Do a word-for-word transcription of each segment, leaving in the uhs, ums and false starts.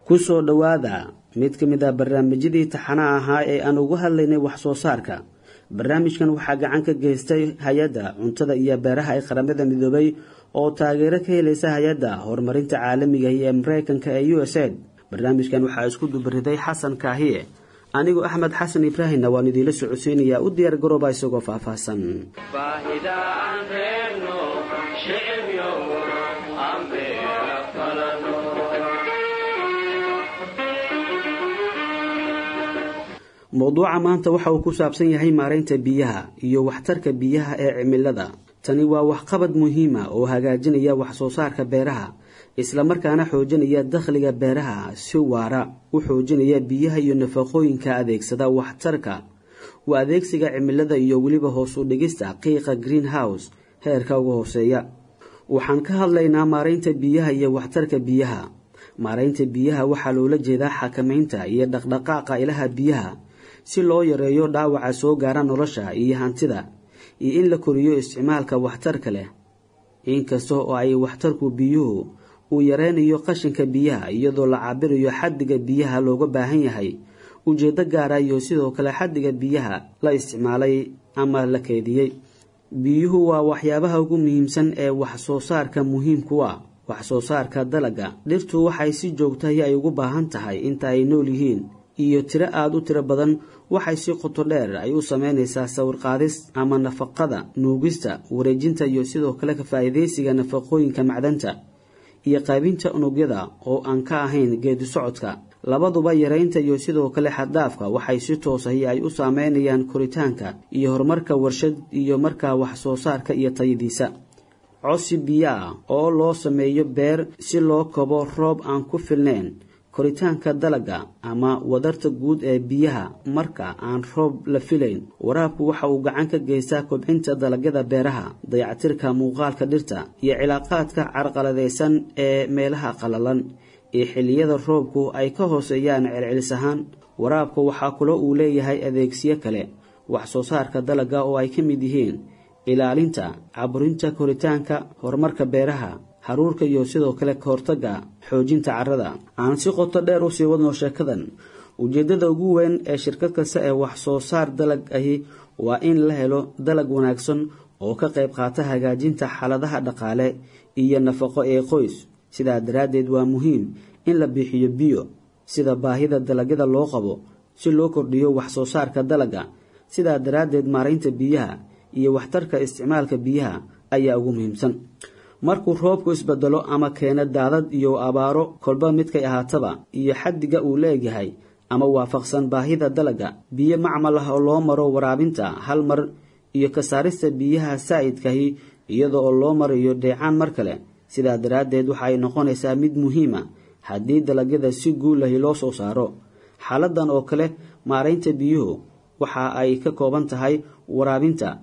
Ku soo dhowaada mid ka mid ah barnaamijyadii taxanaha ahaa ee aan ugu hadlaynay wax soo saarka. Barnaamijkan waxaa gacan ka geystay hay-adda cuntada iyo beeraha ee Qaramada Midoobay oo taageero ka helaysa hay-adda horumarinta caalamiga ee Mareykanka ee U S A I D. Barnaamijkan waxaa isku dubariday Xasan Kaahiye, anigu Axmed Xasan Ibraahimna waan idiinla socodsiinayaa. U diyaar garooba isagoo faahfaahsan. Mowduuca maanta waxa uu ku saabsan yahay maareynta biyaha iyo waxtarka biyaha ee cimilada. Tani waa waxqabad muhiim ah oo hagaajinaya wax soo saarka beeraha, isla markaana xoojinaya dakhliga beeraha, si waara u xoojinaya biyaha iyo nafaqooyinka adeegsada waxtarka u adeegsiga cimilada iyo weliba hoos u dhigista qiiqa greenhouse heerka ugu hooseeya. Waxaan ka hadlaynaa maareynta biyaha iyo waxtarka biyaha. Maareynta biyaha waxaa loola jeedaa xakameynta iyo dhaqdhaqaaqa ilaha biyaha si loo yareeyo dhaawaca soo gaara nolosha iyo hantida, iyo in la koriyo isticmaalka waxtarka leh. Inkasta oo ay waxtarku biyuhu uu yareynayo qashinka biyaha iyadoo la cabirayo xaddiga biyaha looga baahan yahay ujeedo gaara iyo sidoo kale xaddiga biyaha la isticmaalay ama la keydiyey. Biyuhu waa waxyaabaha ugu muhiimsan ee wax soo saarka muhiimku ah. Wax soo saarka dalagga dhirtu waxay si joogto ah ay ugu baahan tahay inta ay nool yihiin, iyo tiro aad u tiro badan waxay si qoto dheer ay u sameynaysaa sawir qaadis ama nafaqada, nuugista, wareejinta iyo sidoo kale ka faa'iidaysiga nafaqooyinka macdanta iyo qaybinta unugyada oo aan ka ahayn geedi socodka. Labaduba yareynta iyo sidoo kale xad-dhaafka waxay si toos ah ay u saameynayaan koritaanka iyo horumarka warshad iyo markaa wax soo saarka iyo tayadiisa. Codsi biyo ah oo loo sameeyo beer si loo kabo roob aan ku filnayn koritaanka dalagga ama wadarta guud ee biyaha marka aan roob la filayn. Waraabku waxa uu gacan ka geystaa kobcinta dalagyada beeraha, dayactirka muuqaalka dhirta iyo cilaaqaadka carqaladaysan ee meelaha qalalan ee xilliyada roobku ay ka hooseeyaan celcelis ahaan. Waraabku waxaa kaloo uu leeyahay adeegsiyo kale wax soo saarka dalagga oo ay ka mid yihiin ilaalinta, caburinta koritaanka, horumarka beeraha, haruurka iyo sidoo kale ka hortagga xoojinta carrada. Aan si qoto dheer u sii wadno sheekadan. Ujeedada ugu weyn ee shirkad kasta ee wax soo saar dalag ahi waa in la helo dalag wanaagsan oo ka qayb qaata hagaajinta xaaladaha dhaqaale iyo nafaqo ee qoys. Sidaa daraaddeed waa muhiim in la bixiyo biyo sida baahida dalagyada loo qabo si loo kordhiyo wax soo saarka dalagga. Sidaa daraaddeed maareynta biyaha iyo waxtarka isticmaalka biyaha ayaa ugu muhiimsan. Markuu roobku isbedelo ama keeno daadad iyo abaaro kolba midkay ahaataba iyo xaddiga uu leeyahay ama waafaqsan baahida dalagga, biyo macmal ah oo loo maro waraabinta hal mar iyo ka saarista biyaha saa'idkahi iyadoo oo loo marayo dheecaan mar kale. Sidaa daraaddeed waxa ay noqonaysaa mid muhiim ah haddii dalagyada si guul leh loo soo saaro. Xaaladdan oo kale maareynta biyuhu waxa ay ka kooban tahay waraabinta,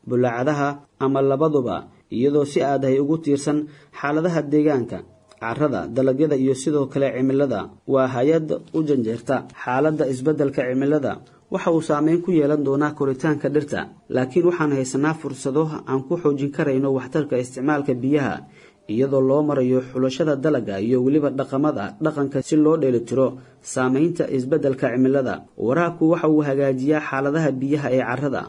bulaacadaha ama labaduba, iyadoo si aad ay ugu tiirsan xaaladaha deegaanka, carrada, dalagyada iyo sidoo kale cimilada. Waa hay-ad u janjeerta xaaladda isbeddelka cimilada waxa uu saameyn ku yeelan doonaa koritaanka dhirta, laakiin waxaan haysanaa fursado aan ku xoojin karayno waxtarka isticmaalka biyaha iyadoo loo marayo xulashada dalagga iyo weliba dhaqamada dhaqanka si loo dheelitiro saameynta isbeddelka cimilada. Waraabku waxa uu hagaajiyaa xaaladaha biyaha ee carrada,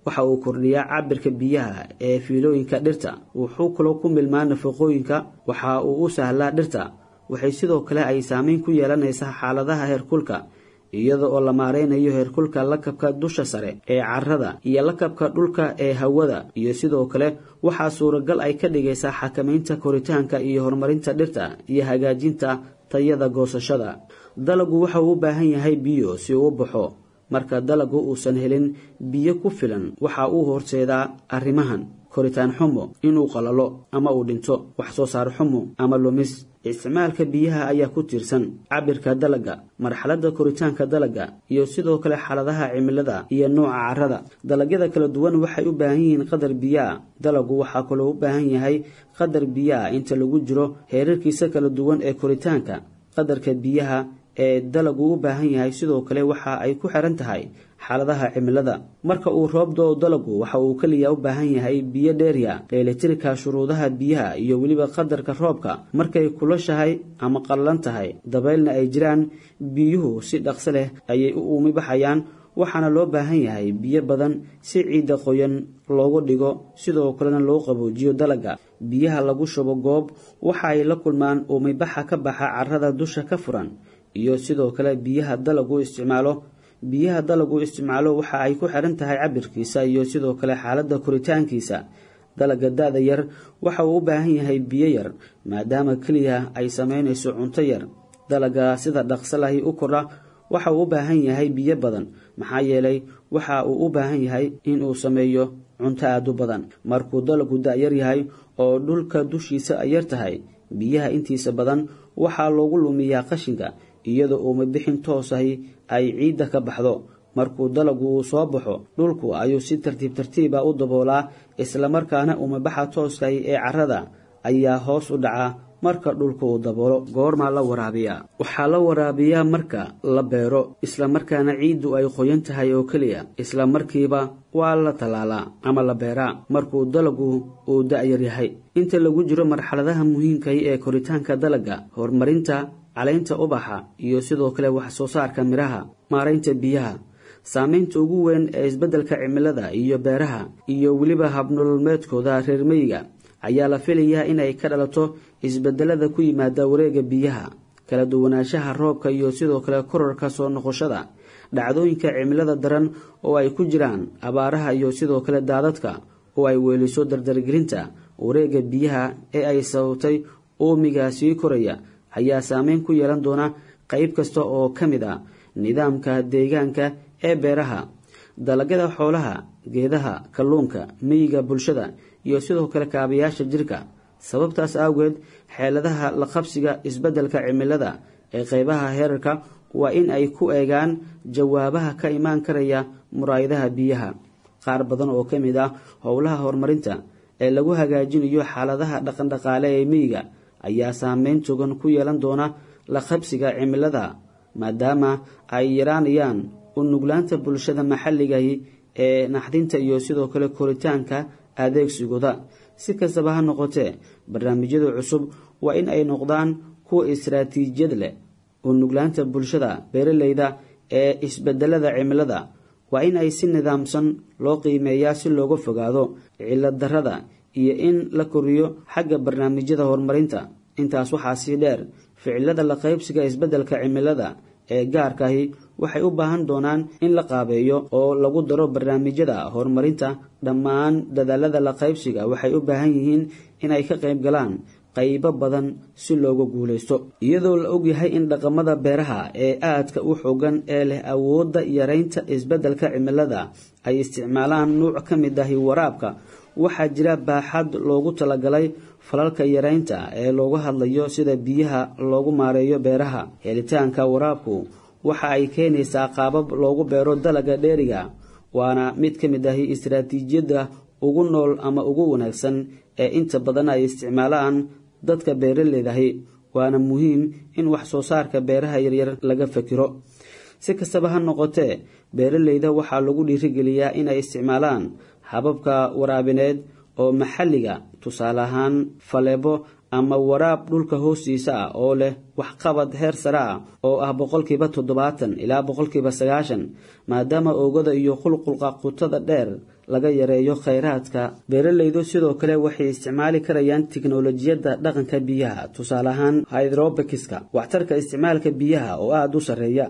waxa uu kordhiyaa cabirka biyaha ee fiilooyinka dhirta, wuxuu kaloo ku milmaa nafaqooyinka, waxa uu u sahlaa dhirta. Waxay sidoo kale ay saameyn ku yeelanaysaa xaaladaha heerkulka iyada oo la maareynayo heerkulka lakabka dusha sare ee carrada iyo lakabka dhulka ee hawada, iyo sidoo kale waxaa suuragal ay ka dhigaysaa xakameynta koritaanka iyo horumarinta dhirta iyo hagaajinta tayada goosashada. Dalaggu waxa uu u baahan yahay biyo si uu u baxo. Marka dalaggu uusan helin biyo ku filan waxa uu horseedaa arrimahan: koritaan xumo, inuu qalalo ama uu dhinto, wax soo saar xumo ama lumis. Isticmaalka biyaha ayaa ku tiirsan cabirka dalagga, marxaladda koritaanka dalagga iyo sidoo kale xaaladaha cimilada iyo nooca carrada. Dalagyada kala duwan waxay u baahan yihiin qadar biyo ah. Dalaggu waxaa kaloo u baahan yahay qadar biyo ah inta lagu jiro heerarkiisa kala duwan ee koritaanka. Qadarka biyaha ee dalaggu u baahan yahay sidoo kale waxa ay ku xiran tahay xaaladaha cimilada. Marka uu roob da'o, dalagu waxa uu kaliya u baahan yahay biyo dheeriya. Dheelitirka shuruudaha biyaha iyo weliba qadarka roobka markay kulushahay ama qallalan tahay, dabaylna ay jiraan, biyuhu si dhaqso leh ayay u uumi baxayaan, waxaana loo baahan yahay biyo badan si ciidda qoyan loogu dhigo, sidoo kalena loo qaboojiyo dalagga. Biyaha lagu shubo goob waxa ay la kulmaan uumibaxa ka baxa carrada dusha ka furan iyo sidoo kale biyaha dalagu isticmaalo. Biyaha dalagu isticmaalo waxa ay ku xiran tahay cabirkiisa iyo sidoo kale xaaladda koritaankiisa. Dalagga da'da yar waxa uu u baahan yahay biyo yar, maadaama keliya ay samaynayso cunto yar. Dalagga sida dhaqso lahi u kordha waxa uu u baahan yahay biyo badan, maxaa yeelay waxa uu u baahan yahay in uu sameeyo cunto aad u badan. Markuu dalagu da'yar yahay oo dhulka dushiisa ay yar tahay, biyaha intiisa badan waxaa loogu lumiyaa qashinka, iyadoo uumi bixin toos ahi ay ciidda ka baxdo. Markuu dalagu uu soo baxo, dhulku ayuu si tartiib tartiib ah u daboolaa, islamarkaana uumibaxa tooskahi ee carrada ayaa hoos u dhaca marka dhulku uu daboolo. Goormaa la waraabiyaa? Waxaa la waraabiyaa marka la beero, islamarkaana ciiddu ay qoyan tahay oo keliya. Isla markiiba waa la tallaalaa ama la beeraa markuu dalagu uu da'yar yahay. Inta lagu jiro marxaladaha muhiimkahi ee koritaanka dalagga, horumarinta caleynta ubaxa iyo sidoo kale wax soo saarka midhaha, maaraynta biyaha. Saameynta ugu weyn ee isbeddelka cimilada iyo beeraha iyo weliba habnololmeedkooda reer miyiga ayaa la filayaa inay ka dhalato isbedelada ku yimaada wareegga biyaha, kala duwanaanshaha roobka iyo sidoo kale kororka soo noqoshada dhacdooyinka cimilada daran oo ay ku jiraan abaaraha iyo sidoo kale daadadka, oo ay weeliso dardargelinta wareegga biyaha ee ay sababtay uumiga sii koraya ayaa saameyn ku yeelan doona qayb kasta oo ka mid ah nidaamka deegaanka ee beeraha, dalagyada, xoolaha, geedaha, kalluunka, miyiga, bulshada iyo sidoo kale kaabayaasha jirka. Sababtaas awgeed, xeeladaha la qabsiga isbeddelka cimilada ee qaybaha heerarka waa in ay ku eegaan jawaabaha ka imaan karaya muraayadaha biyaha. Qaar badan oo ka mid ah howlaha horumarinta ee lagu hagaajinayo xaaladaha dhaqandhaqaale ee miyiga ayaa saameyn togan ku yeelan doona la qabsiga cimilada, maadaama ay yaraanayaan u nuglaanta bulshada maxalligahi ee naxdinta iyo sidoo kale koritaanka adeegsigooda. Si kastaba ha noqotee, barnaamijyada cusub waa in ay noqdaan kuwa istaraatiijiyad leh. U nuglaanta bulshada beeraleyda ee isbedelada cimilada waa in ay si nidaamsan loo qiimeeyaa si looga fogaado cilad darrada iyo in la koriyo xagga barnaamijyada horumarinta. Intaas waxaa sii dheer, ficilada la qaybsiga isbeddelka cimilada ee gaarkaahi waxay u baahan doonaan in la qaabeeyo oo lagu daro barnaamijyada horumarinta. Dhammaan dadaalada la qaybsiga waxay u baahan yihiin inay ka qayb galaan qaybo badan si looga guulaysto, iyadoo la ogyahay in dhaqamada beeraha ee aadka u xoogan ee leh awoodda yareynta isbeddelka cimilada ay isticmaalaan nuuc ka mid ahi waraabka. Waxaa jira baaxad loogu talagalay falalka yareynta ee looga hadlayo sida biyaha loogu maareeyo beeraha. Helitaanka waraabku waxa ay keenaysaa qaabab loogu beero dalagga dheeriga, waana mid ka mid ahi istaraatiijiyadda ugu nool ama ugu wanaagsan ee inta badan ay isticmaalaan dadka beeraleydahi, waana muhiim in wax soo saarka beeraha yaryar laga fakiro. Si kastaba ha noqotee, beeraleyda waxaa lagu dhiirigeliyaa inay isticmaalaan hababka waraabineed oo maxalliga, tusaale ahaan faleebo ama waraab dhulka hoostiisa ah oo leh waxqabad heer sare ah oo ah boqolkiiba toddobaatan ilaa boqolkiiba sagaashan, maadaama oogada iyo qulqulqa qutada dheer laga yareeyo khayraadka. Beeraleydu sidoo kale waxay isticmaali karayaan tiknolojiyadda dhaqanka biyaha, tusaale ahaan hydrobikiska. Waxtarka isticmaalka biyaha oo aada u sarreeya.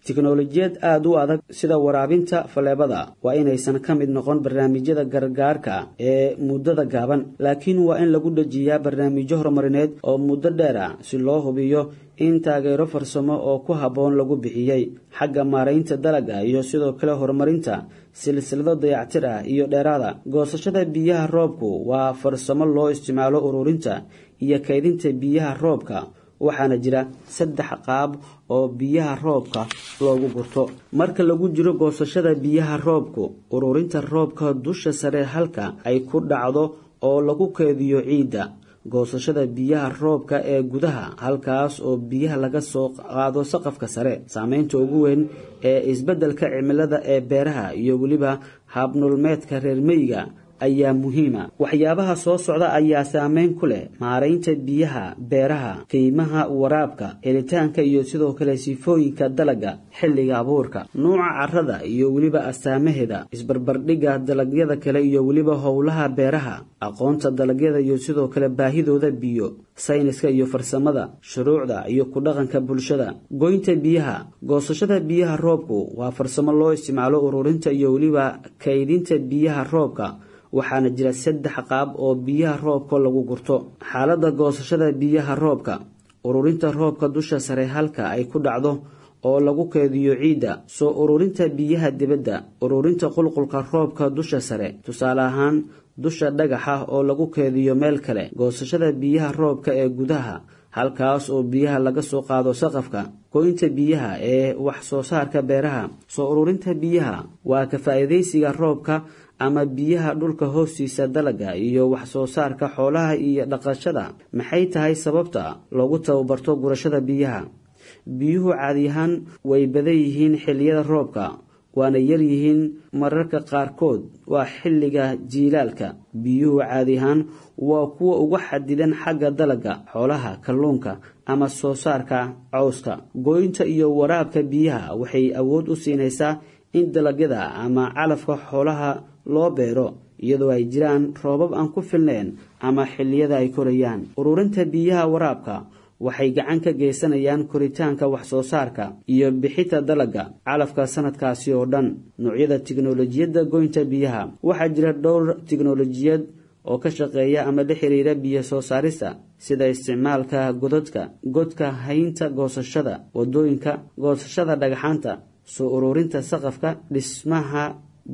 Tiknolojiyad aada u adag sida waraabinta faleebada waa inaysan ka mid noqon barnaamijyada gargaarka ee muddada gaaban, laakiin waa in lagu dhejiyaa barnaamijyo horumarineed oo muddo dheer ah si loo hubiyo in taageero farsamo oo ku habboon lagu bixiyey xagga maaraynta dalagga iyo sidoo kale horumarinta silsilado dayactir ah iyo dheeraada. Goosashada biyaha roobku waa farsamo loo isticmaalo ururinta iyo kaydinta biyaha roobka, waxaana jira saddex qaab oo biyaha roobka loogu gurto. Marka lagu jiro goosashada biyaha roobku, ururinta roobka dusha sare halka ay ku dhacdo oo lagu keediyo ciidda. Goosashada biyaha roobka ee gudaha, halkaas oo biyaha laga soo qaado saqafka sare. Saameynta ugu weyn ee isbeddelka cimilada ee beeraha iyo weliba habnolomeedka reer miyiga ayaa muhiima. Waxyaabaha soo socda ayaa saameyn ku leh maaraynta biyaha beeraha: qiimaha waraabka, helitaanka iyo sidoo kale sifooyinka dalagga xilliga abuurka, nuuca carrada iyo weliba astaamaheeda, isbarbardhigga dalagyada kale iyo weliba howlaha beeraha, aqoonta dalagyada iyo sidoo kale baahidooda biyo, sayniska iyo farsamada, shuruucda iyo ku dhaqanka bulshada. Goynta biyaha. Goosashada biyaha roobku waa farsamo loo isticmaalo ururinta iyo weliba kaydinta biyaha roobka, waxaana jira saddex qaab oo biyaha roobka lagu gurto. Xaaladda goosashada biyaha roobka: ururinta roobka dusha sare halka ay ku dhacdo oo lagu keydiyo ciidda, soo ururinta biyaha dibadda, ururinta qulqulka roobka dusha sare, tusaale ahaan dusha dhagaxa oo lagu keydiyo meel kale, goosashada biyaha roobka ee gudaha, halkaas oo biyaha laga soo qaado saqafka. Goynta biyaha ee wax soo saarka beeraha. Soo ururinta biyaha waa ka faa'iidaysiga roobka ama biyaha dhulka hoostiisa dalagga iyo wax soo saarka xoolaha iyo dhaqashada. Maxay tahay sababta loogu tababarto gurashada biyaha? Biyuhu caadi ahaan way badan yihiin xilliyada roobka, waana yar yihiin mararka qaarkood, waa xilliga jiilaalka. Biyuhu caadi ahaan waa kuwa ugu xadidan xagga dalagga, xoolaha, kalluunka ama soo saarka cawska. Goynta iyo waraabka biyaha waxay awood u siinaysaa in dalagyada ama calafka xoolaha loo beero iyadoo ay jiraan roobab aan ku filnayn ama xilliyada ay korayaan. Ururinta biyaha waraabka waxay gacan ka geysanayaan koritaanka wax soo saarka iyo bixinta dalagga calafka sanadkaasi oo dhan. Noocyada tiknoolajiyadda goynta biyaha. Waxaa jira dhowr tiknoolajiyad oo ka shaqeeya ama la xiriira biyo soo saarista, sida isticmaalka godadka, godka haynta, goosashada wadooyinka, goosashada dhagxaanta, soo ururinta saqafka, dhismaha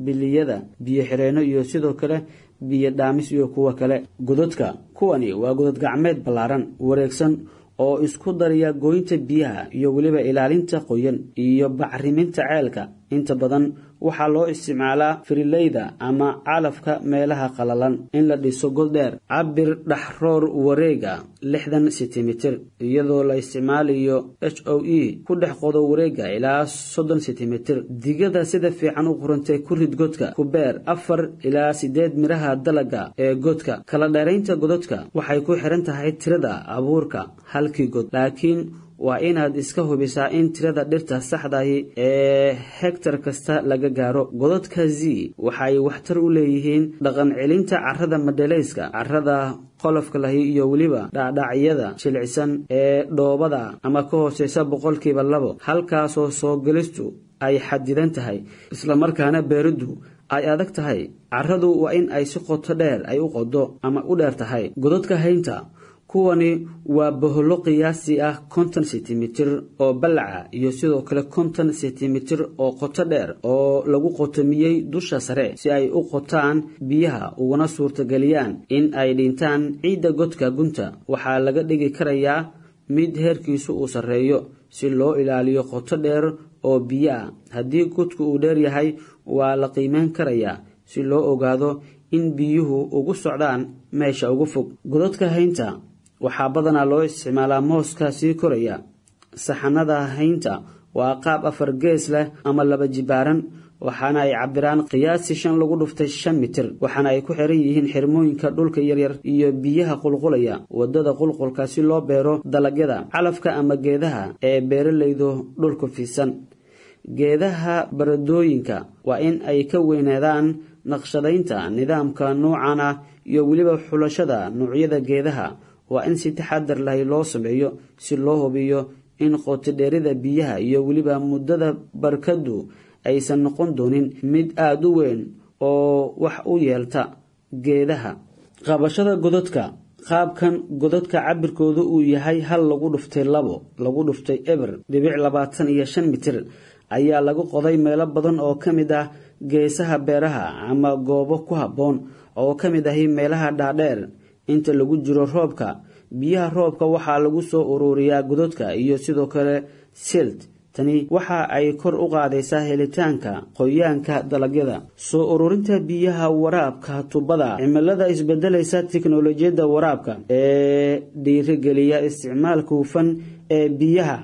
biliyada, biyo xireenno iyo sidoo kale biyo dhaamis iyo kuwo kale. Godadka: kuwani waa godad gacmeed ballaaran, wareegsan oo isku daraya goynta biyaha iyo weliba ilaalinta qoyan iyo bacriminta ceelka. Inta badan waxaa loo isticmaalaa firileyda ama calafka meelaha qalalan. In la dhiso god dheer, cabir dhaxroor wareega lixdan sentimitir, iyadoo la isticmaalayo h o e ku dhex qodo wareega ilaa soddon sentimitir. Digada sida fiican u qurantay ku rid godka. Ku beer afar ilaa sideed miraha dalagga ee godka. Kala dheeraynta godadka waxay ku xiran tahay tirada abuurka halkii god, laakiin waa inaad iska hubisaa in tirada dhirta saxdahi ee hegtar kasta laga gaaro. Godadka Z waxay waxtar u leeyihiin dhaqan celinta carrada madhalayska, carrada qolofka lahi iyo weliba dhacdhacyada jilicsan ee dhoobada ama ka hooseysa boqolkiiba labo, halkaasoo soo gelistu ay xadidan tahay islamarkaana beeriddu ay adag tahay. Carradu waa in ay si qoto dheer ay u qodo ama u dheer tahay. Godadka haynta: kuwani waa boholo qiyaasi ah konton sentimitir oo ballaca iyo sidoo kale konton sentimitir oo qoto dheer oo lagu qotomiyey dusha sare si ay u qotaan biyaha uguna suurtageliyaan in ay dhintaan ciidda godka gunta. Waxaa laga dhigi karayaa mid heerkiisu uu sarreeyo si loo ilaaliyo qoto dheer oo biyo ah. Haddii godku uu dheer yahay, waa la qiimeyn karayaa si loo ogaado in biyuhu ugu socdaan meesha ugu fog. Godadka haynta waxaa badanaa loo isticmaalaa mooska sii koraya. Saxanada haynta waa qaab afar gees leh ama laba jibaaran, waxaana ay cabiraan qiyaasi shan lagu dhuftay shan mitir, waxaana ay ku xiran yihiin xirmooyinka dhulka yaryar iyo biyaha qulqulaya wadada qulqulka si loo beero dalagyada calafka ama geedaha ee beeralaydu dhulku fiidsan. Geedaha baradooyinka waa in ay ka weynaadaan. Naqshadaynta nidaamka noocan ah iyo weliba xulashada noocyada geedaha waa in si taxadar lahi loo sameeyo si loo hubiyo in qotodheerida biyaha iyo weliba muddada barkadu aysan noqon doonin mid aada u weyn oo wax u yeelta geedaha. Qabashada godadka: Qaabkan godadka cabirkoodu uu yahay hal lagu dhuftay labo lagu dhuftay eber dhibic labaatan iyo shan mitir ayaa lagu qoday meelo badan oo ka mid ah geesaha beeraha ama goobo ku habboon oo ka mid ahi meelaha dhaadheer. Inta lagu jiro roobka, biyaha roobka waxaa lagu soo ururiyaa godadka iyo sidoo kale silt Tani waxa ay kor u qaadaysaa helitaanka qoyaanka dalagyada. Soo ururinta biyaha waraabka tubada. Cimilada isbedelaysa, tiknoolajiyadda waraabka ee dhiirigeliya isticmaalka hufan ee biyaha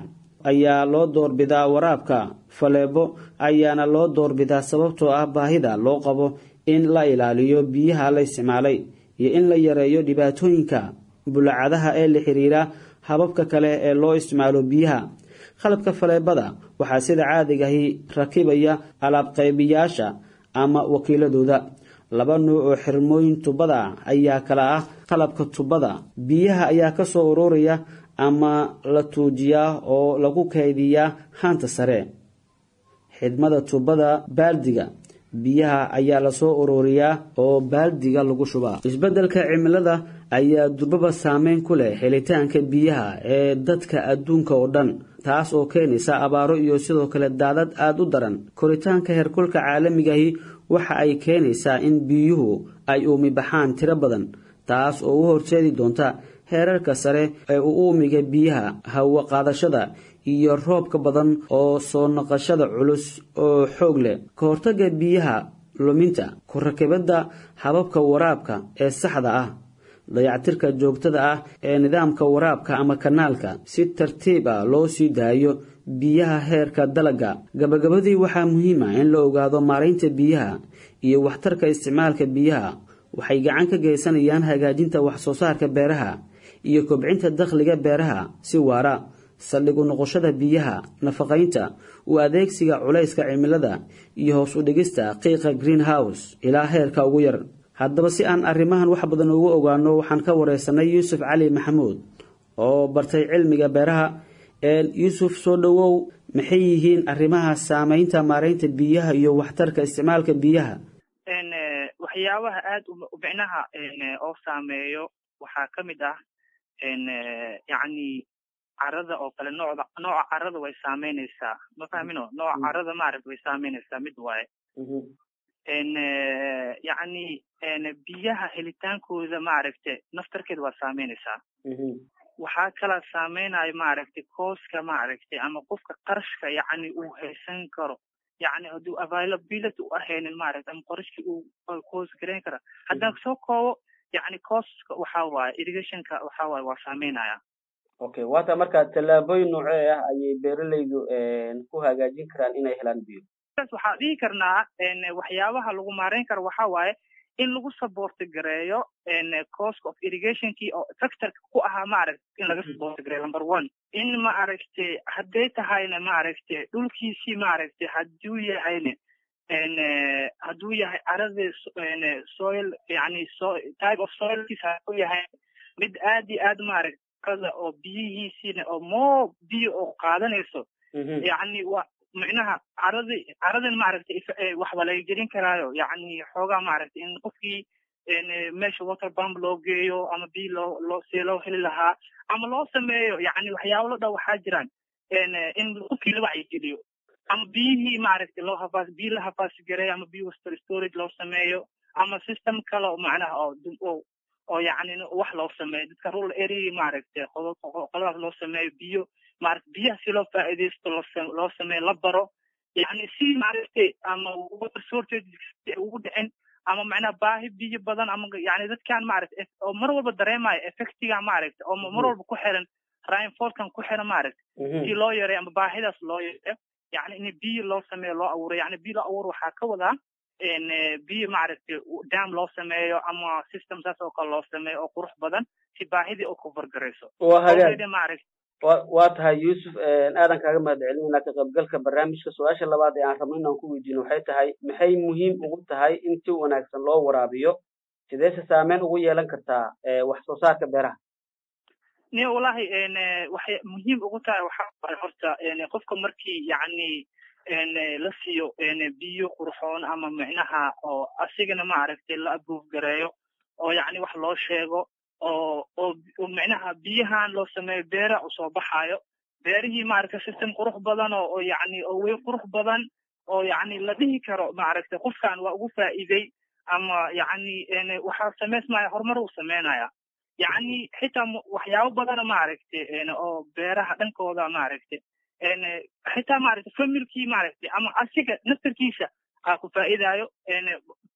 ayaa loo doorbidaa. Waraabka faleebo ayaana loo doorbidaa sababtoo ah baahida loo qabo in la ilaaliyo biyaha la isticmaalay iyo in la yareeyo dhibaatooyinka bulacadaha ee la xiriira hababka kale ee loo isticmaalo biyaha. Qalabka faleebada waxaa sida caadigahi rakibaya alaab qaybiyaasha ama wakiiladooda. Laba nuuc oo xirmooyin tubada ayaa kala ah: qalabka tubada biyaha ayaa kasoo ururaya ama la tuujiyaa oo lagu kaydiyaa haanta sare. Xidhmada tubada baaldiga biyaha ayaa lasoo ururiyaa oo baaldiga lagu shubaa. Isbeddelka cimilada ayaa durbaba saameyn ku leh helitaanka biyaha ee dadka adduunka oo dhan, taas oo keenaysa abaaro iyo sidoo kale daadad aada u daran. Koritaanka heerkulka caalamigahi waxa ay keenaysaa in biyuhu ay uumi baxaan tiro badan, taas oo u horseedi doonta heerarka sare ee u uumiga biyaha, hawo qaadashada iyo roobka badan oo soo noqoshada culus oo xoog leh. Ka hortagga biyaha luminta, ku rakibadda hababka waraabka ee saxda ah, dayactirka joogtada ah ee nidaamka waraabka ama kanaalka si tartiib ah loo sii daayo biyaha heerka dalagga. Gabagabadii, waxaa muhiim ah in la ogaado maaraynta biyaha iyo waxtarka isticmaalka biyaha waxay gacan ka geysanayaan hagaajinta wax soo saarka beeraha iyo kobcinta dakhliga beeraha si waara. Saldhig u noqoshada biyaha, nafaqaynta, u adeegsiga culayska cimilada iyo hoos u dhigista qiiqa greenhouse ilaa heerka ugu yar. Haddaba, si aan arrimahan wax badan ugu ogaano, waxaan ka wareysanay Yuusuf Cali Maxamuud oo bartay cilmiga beeraha. Yuusuf, soo dhowow. Maxay yihiin arrimaha saameynta maaraynta biyaha iyo waxtarka isticmaalka biyaha? Waxyaabaha aad micnaha oo saameeyo waxaa ka mid ah, yacni, carada oo kale. Noocda, nooca carada way saameynaysaa, ma fahmino? Nooca carada, maaragta, way saameynaysaa, mid waaye. Yacni, biyaha helitaankooda, maaragta, naftarkeeda waa saameynaysaa. Waxaa kala saameynayo, maaragtay, costka, maaragtay, ama qofka qarashka, yacni, uu haysan karo, yacni hadduu availability u ahaynin, maaragta, ama qarashkii uu cost gareyn kara. Haddaan soo koobo, yacni, costka waxaa waaye irrigationka waxaa waaye waa saameynaya. Okay, waata. Marka tallaabooyin noocee ah ayay beeralaydu ku hagaajin karaan inay helaan biyo? Waxaa dhihi karnaa waxyaabaha lagu maareyn karo waxaa waaye in lagu support gareeyo cost of irrigationkii oo factorka ku ahaa, maaragta, in laga support gareeyo, number one. In, maaragtay, hadday tahayna, maaragtay, dhulkiisii, maaragtay, hadduu yahayna, hadduu yahay caradii soil, yani so type of soilkiis hadduu yahay mid aad iyo aad, maaragtay, carada oo biyihiisiina oo more biyo oo qaadanayso, yacni waa micnaha caradi caradan, maaragtay, waxba laga gelin karaayo, yacni xoogaa, maaragtay, in qofkii meesha water pump loo geeyo ama biyo loo loo see loo heli lahaa ama loo sameeyo, yacni waxyaabo lo dhan waxaa jiraan in qofkii la wacyigeliyo ama biyihii, maaragtay, loo hafaas, biyo la hafaasi gareeyo ama biyo storage loo sameeyo ama system kale oo macnaha oo oo oo yacni wax loo sameeyo dadka rural area, maaragtay, qoladaas loo sameeyo biyo, maaragtay, biyaha si loo faa'iidaysto loo loo sameeyo, la baro, yacni si, maaragtay, ama water shortage ugu dhicin ama macnaha baahi biyo badan ama yacni dadkan, maaragtay, oo mar walba dareemayo effectiga, maaragtay, oo mar walba ku xiran rainfallkan ku xiran, maaragtay, si loo yareeyo ama baahidaas loo yareeyo, yacni in biyo loo sameeyo, loo abuuro. Yacni biyo loo abuuro waxaa ka wadaa biyo, maaragtay, dam loo sameeyo ama system saas oo kale loo sameeyo oo qurux badan si baahidii u cover garayso. Waa hagaag. Maaragtay. Waa tahay, Yuusuf, aadan kaaga mahad celinayna ka qaybgalka barnaamijka. Su-aasha labaad ee aan rabno inaan ku weydiino waxay tahay: maxay muhiim ugu tahay in si wanaagsan loo waraabiyo? Sideese saameyn ugu yeelan kartaa wax soo saarka beeraha? Ni wallahi, waxay muhiim ugu tahay waxaa waaye horta qofka markii, yacni, la siiyo biyo qurxoon ama micnaha oo asigana, maaragtay, la approve gareeyo oo yacni wax loo sheego oo oo micnaha biyahan loo sameeyo, beera usoo baxaayo, beerihii, maaragtay, system qurux badan oo oo yacni oo way qurux badan oo yacni la dhihi karo, maaragtay, qofkan waa ugu faa'iiday ama yacni waxaa samaysmaya horumar uu sameynaya. Yacni xitaa waxyaabo badana, maaragtay, oo beeraha dhankooda, maaragtay, Xitaa maaragtay familkii maaragtay ama asiga naftarkiisa aa ku faa'iidayo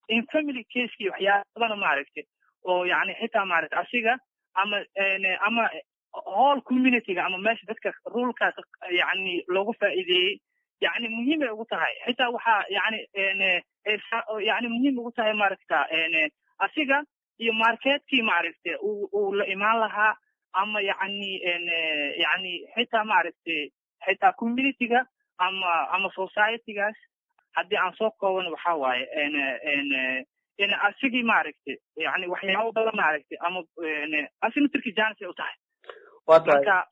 in family casekii waxyaabana maaragtay oo yani xitaa maaragtay asiga ama ama whole communityga ama meesha dadka rulkaas yani loogu faa'iideeyey, yani muhiim ay ugu tahay. Xitaa waxaa yani yani muhiim ugu tahay maaragta asiga iyo marketkii maaragtay uu uu la imaan lahaa ama yani yani xitaa maaragtay xitaa communityga ama ama societygaas. Haddii aan soo kooban, waxaa waaye in asigii maaragtay yani waxyaabo badan maaragtay ama asi naftirkii chance ay u tahay. Marka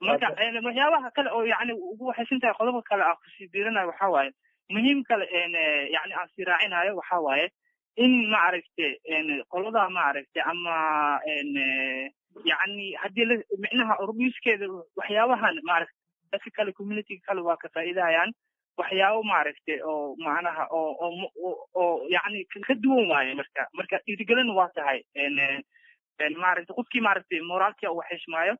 marka waxyaabaha kale oo yani ugu waxaysan tahay, qodobka kale aan kusii biirinayo waxaa waaye, muhiim kale yani aan sii raacinayo waxaa waaye in maaragtay qolada maaragtay ama yani haddii la micnaha urbiiskeeda waxyaabahan maaragtay dadka kale, communityga kale waa ka faa'iidayaan, waxyaabo maaragtay oo macnaha oo oo oo yani ka duwan waaye. Marka marka dhiirigelin waa tahay maaragtay qofkii maaragtay moraalkii uu xishmaayo,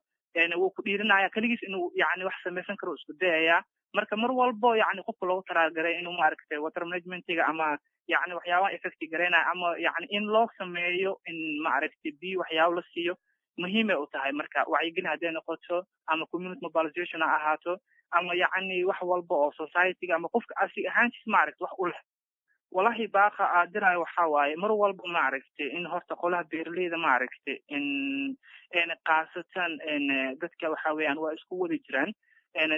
wuu ku dhiirinaya keligiis inuu yani wax samaysan karo, isku dayayaa. Marka mar walbo yani qofka loogu talagalay inuu maaragtay water managementiga ama yani waxyaabaha effect garaynaya ama yani in loo sameeyo in maaragtay biyo waxyaabo la siiyo, muhiimay u tahay. Marka wacyigelin hadday noqoto ama community mobilization ha ahaato ama yacni wax walba oo societyga ama qofka asi ahaantiis maaragtay wax u leh. Wallahi baaqa aadirayo waxaa waaye mar walba maaragtay in horta qolaha beeraleyda maaragtay in in khaasatan dadka waxa weeyaan waa isku wada jiraan.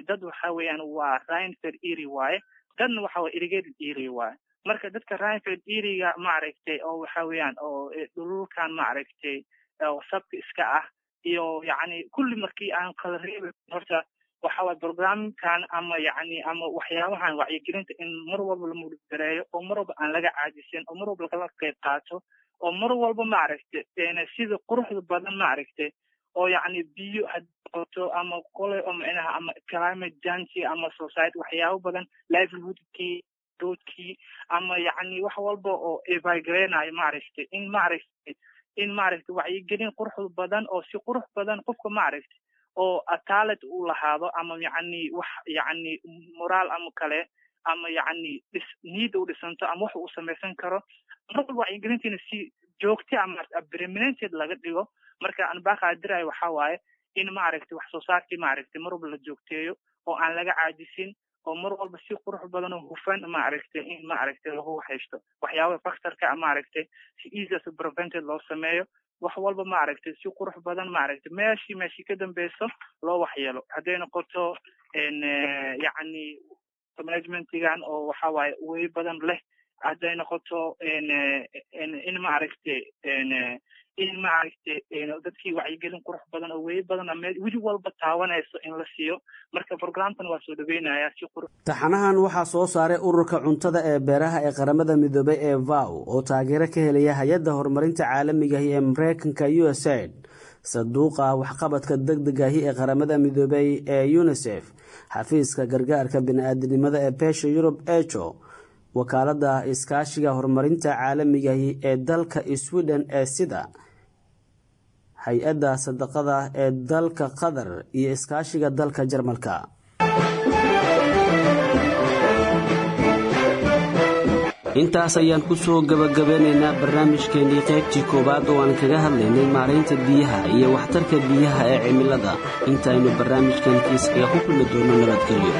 Dad waxa weeyaan waa rainfed area waaye, dadna waxa waye irrigated area waaye. Marka dadka rainfed area maaragtay oo waxa weeyaan oo dhululkan maaragtay oo sabka iska ah iyo yacni kulli markii aan kala reebin, horta waxa waye programkan ama yacni ama waxyaabahan wacyigelinta in mar walba la mudgareeyo oo mar walba aan laga caajisin oo mar walba lagala qayb qaato oo mar walba maaragtay sida quruxda badan maaragtay oo yacni biyo hadii ama qole oo micnaha ama climate change ama society waxyaabo badan, livelihoodkii, roadkii ama yacni wax walba oo evagreenayo maaragtay in maaragtay in maaragtay wacyigelin qurux badan oo si qurux badan qofka maaragtay oo talent uu lahaado ama yacni wax yacni moraal ama kale ama yacni dhis niyadda u dhisanto ama wax uu samaysan karo, mar walba wacyigelintiina si joogta ama permanented laga dhigo. Marka aan baaqaadirayo waxaa waaye in maaragtay wax soo saarkii maaragtay mar walba la joogteeyo oo aan laga caajisin oo mar walba si qurux badan oo hufan maaragtay in maaragtay lagu haysto waxyaabaha factorka maaragtay si easy as prevented loo sameeyo, wax walba maaragtay si qurux badan maaragtay meeshii meeshii ka dambeyso loo waxyeelo, hadday noqoto yacni managementigan oo waxa waaye way badan leh, hadday noqoto in maaragtay in maaragtay dadkii wacyigelin qurux badan oo way badan meel weli walba taabanayso in la siiyo. Marka programkan waa soo dhaweynaya si qurux. Taxanahan waxaa soo saaray Ururka Cuntada ee Beeraha ee Qaramada Midoobay ee F A O oo taageero ka helaya Hay-adda Horumarinta Caalamigahi ee Mareykanka U S A I D, Sanduuqa Waxqabadka Degdegahi ee Qaramada Midoobay ee UNICEF, Xafiiska Gargaarka Bini-aadinimada ee Beesha Yurub ECHO, Wakaalada Iskaashiga Horumarinta Caalamigahi ee dalka Sweden ee SIDA, Hay-adda Sadaqada ee dalka Qatar iyo iskaashiga dalka Jarmalka. Intaas ayaan ku soo gabagabeynaynaa barnaamijkeenii qaybtii koowaad oo aan kaga hadlaynay maaraynta biyaha iyo waxtarka biyaha ee cimilada. Intaynu barnaamijkan kiiskaga ku kulmi doono, nabadgelyo.